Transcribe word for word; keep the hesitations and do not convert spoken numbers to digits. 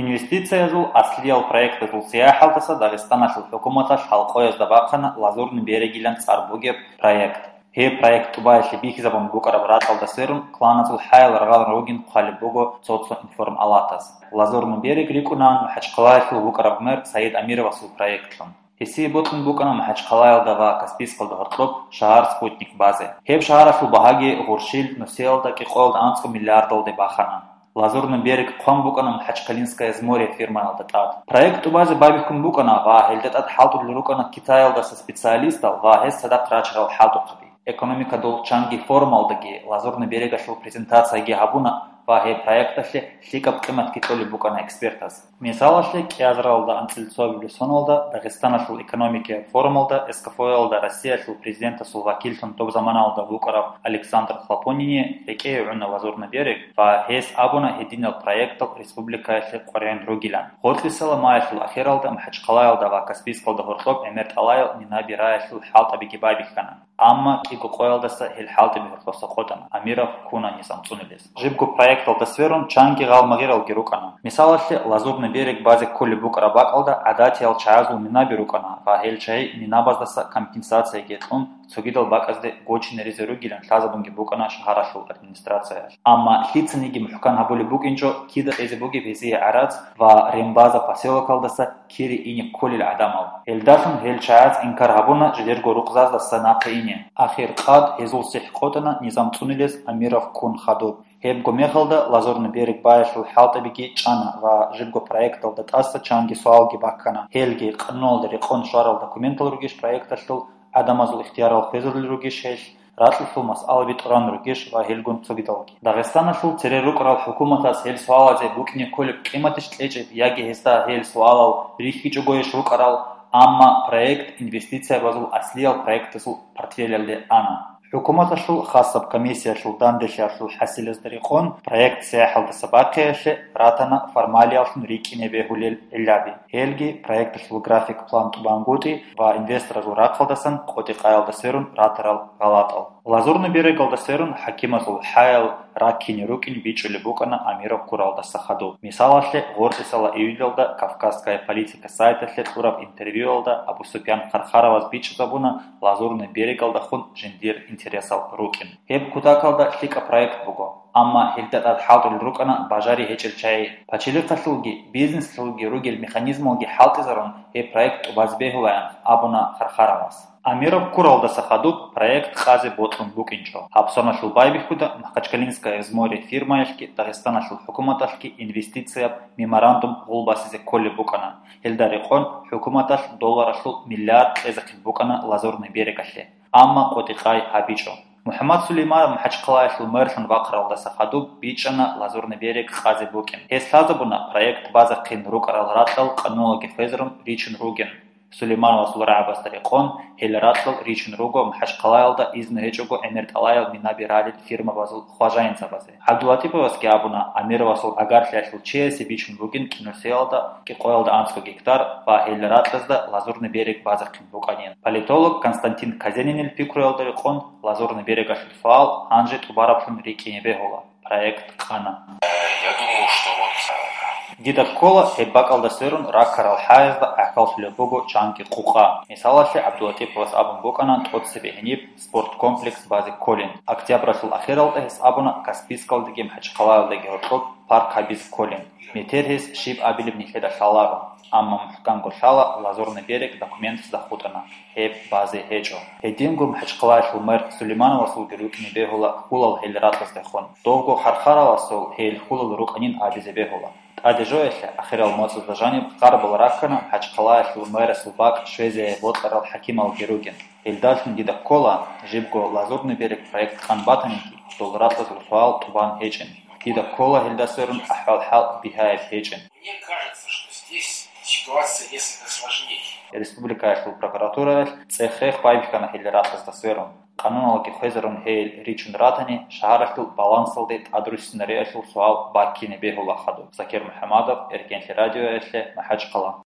Инвестициязул аслиял проектазул сияхӀалдаса Дагъистаналъул хӀукуматалъ халкъоязда бахъана Лазурный берегилан цӀар бугеб проект. Гьеб проект тӀубаялъе бихьизабун букӀараб ракьалда сверун, кланазул хӀаял рагъалун ругин хъвалеб буго цо-цо информалатас. Лазурный берег рикӀкӀунаан МахӀачхъалаялъул вукӀараб мэр Саид Амировасул проектлъун. Гьесие бокьун букӀана МахӀачхъалаялда ва Каспийскалда гьоркьоб шагьар Спутник базе. Гьеб шагьаралъул багьаги гъурщил нусиялда кӀикъоялда анцӀго миллиардалде бахана. Лазурный берег хъван букӀана Махачкалинское море фирмаялда тӀад. Проект тӀубазе байбихьун букӀана ва гьелда тӀад хӀалтӀулел рукӀана Китаялдаса специалистал ва гьез цадахъ рачарал хӀалтӀухъаби. Экономикадул чанги форумалдаги Лазурный берегалъул презентацияги гьабуна ва гьеб проекталъе лъикӀаб къиматги кьолеб букӀана экспертаз. Мисалалъе, кӀиазаралда анцӀила цоабилеб соналда Дагъистаналъул экономикияб форумалда СКФО-ялда Россиялъул президентасул вакиллъун доб заманалда вукӀарав Александр Хлопонине рекӀее гӀуна Лазурный берег ва гьес абуна гьединал проектал республикаялъе къваригӀун ругилан. Гъоркьисала маялъул ахиралда МахӀачхъалаялда ва Каспийскалда гьоркьоб гӀемер тӀалаял Мина Бираялъул хӀалтӀабиги байбихьана. Амма кӀиго къоялдаса гьел хӀалтӀаби гьоркьоса къотӀана, Амиров ккуна низам цӀунулес. Жибго проекталда сверун чанги гъалмагъиралги рукӀана. Мисалалъе, Лазурный берег базе кколеб букӀараб бакӀалда гӀадатиял чагӀазул минаби рукӀана ва гьел чагӀи минабаздаса компенсацияги кьун, цогидал бакӀазде гочинаризе ругилан лъазабунги букӀана шагьаралъул администрациялъ. Амма лъицаниги мухӀкан гьабулеб букӀинчӀо, кида кьезе бугеб гьезие гӀарац ва Рембаза поселокалдаса кире ине кколел гӀадамал. Гьелдалъун гьел чагӀаз инкар гьабуна жидерго рукъзаздаса нахъе ине. Ахир къад гьезул сихӀ къотӀана низам цӀунулес Амиров ккун хадуб. Гьебго мехалда Лазурный берег баялъул хӀалтӀабиги чӀана ва жибго проекталда тӀаса чанги суалги баккана. Гьелги къануналда рекъон щварал документал ругищ проекталъул, гӀадамазул ихтиярал хвезулел ругищ гьелъ, ракьалъул масъалаби тӀуран ругищ ва гьелгун цогидалги. Дагъистаналъул цере рукӀарал хӀукуматас гьел суалазе букӀине кколеб къиматищ кьечӀеб яги гьесда гьел суалал рихьичӀогойищ рукӀарал, амма проект инвестициябазул аслиял проектасул портфелялде ана. ХӀукуматалъул хасаб комиссиялъул данделъиялъул хӀасилазда рекъон проект сияхӀалдаса бахъиялъе ратана формалияллъун рикӀкӀине бегьулел гӀиллаби. Гьелги проекталъул график-план тӀубангутӀи ва инвесторазул рахъалдасан къотӀи-къаялда сверун ратарал гъалатӀал. Лазурный берегалда сверун хӀакимазул хӀаял раккине рукӀин бичӀчӀулеб букӀана Амиров ккуралдаса хадуб. Мисалалъе, гъоркьисала июльалда Кавказская политика сайталъе кьураб интервьюялда Абу Супьян Хархараваз бичӀчӀизабуна Лазурный берегалдахун жиндир интересал рукӀин. Гьеб кутакалда лъикӀаб проект буго, амма гьелда тӀад хӀалтӀулел рукӀана бажари гьечӀел чагӀи. Пачалихъалъулги бизнеслъулги ругел механизмалги хӀалтӀизарун, гьеб проект тӀубазе бегьулаан, абуна Хархараваз. Амиров ккуралдаса хадуб проект къазе бокьун букӀинчӀо. Гьабсаналъул байбихьуда Махачкалинское море фирмаялъги Дагъистаналъул хӀукуматалъги инвестицияб меморандум гъулбасизе кколеб букӀана. Гьелда рекъон хӀукуматалъ долларалъул миллиард кьезехъин букӀана Лазурный берегалъе, амма къотӀи-къай гьабичӀо. МухӀаммад Сулейманов МахӀачхъалаялъул мэрлъун вахъаралдаса хадуб бичӀчӀана Лазурный берег къазе букӀин. Гьес лъазабуна проект базахъин рукӀарал ракьал къануналги хвезарун ричун ругин. Сулеймановасул рагӀабазда рекъон, гьел ракьал ричун руго МахӀачхъалаялда изну гьечӀого гӀемер тӀалаял минаби ралел фирмабазул хважаинзабазе. ГӀабдулатиповасги абуна, Амировасул агарлъиялъул чиясе бичун бугин кӀинусиялда кӀикъоялда анцӀго гектар ва гьел ракьазда Лазурный берег базахъин букӀанин. Политолог Константин Казенинил пикруялда рекъон, Лазурный берегалъул суал гьанже тӀубараблъун рикӀкӀине бегьула. Проект къана. Я думаю, что вот, э, Дида ккола, гьеб бакӀалда сверун раккарал хӀаязда гӀахьаллъулеб буго чанги къукъа. Мисалалъе, ГӀабдулатиповас абун букӀана тӀоцебе гьениб спорткомплекс базе кколин. Октябралъул ахиралда гьес абуна Каспийскалдаги МахӀачхъалаялдаги гьоркьоб парк гьабизе кколин. Метер гьес щиб абилеб нилъеда лъаларо, амма мухӀканго лъала, Лазурный берег документазда хутӀана. Гьеб базе гьечӀо. Гьединго МахӀачхъалаялъул мэр Сулеймановасулги рукӀине бегьула хьулал гьел ракьаздехун. Довго Хархаравасул гьел хьулал рукӀанин абизе бегьула. ТӀаде жоялъе, ахирал моцӀазда жаниб къарбал раккана МахӀачхъалаялъул мэрасул бакӀ щвезеяй бокьарал хӀакималги ругин. Гьелдалъун дида ккола, жибго Лазурный берег проект къан батаниги, дол ракьазул суал тӀубан гьечӀин. Дида ккола гьелда сверун ахӀвал-хӀал бигьаяб гьечӀин. Мне кажется, что здесь ситуация несколько сложнее. Республикаялъул прокуратураялъ цӀех-рех байбихьана гьел ракьазда сверун. Къануналги хвезарун гьел ричун ратани, шагьаралъул балансалде тӀадруссинариялъул суал баккине бегьула хадуб. Закир МухӀамадов, Эркенлъи радиоялъе, МахӀачхъала.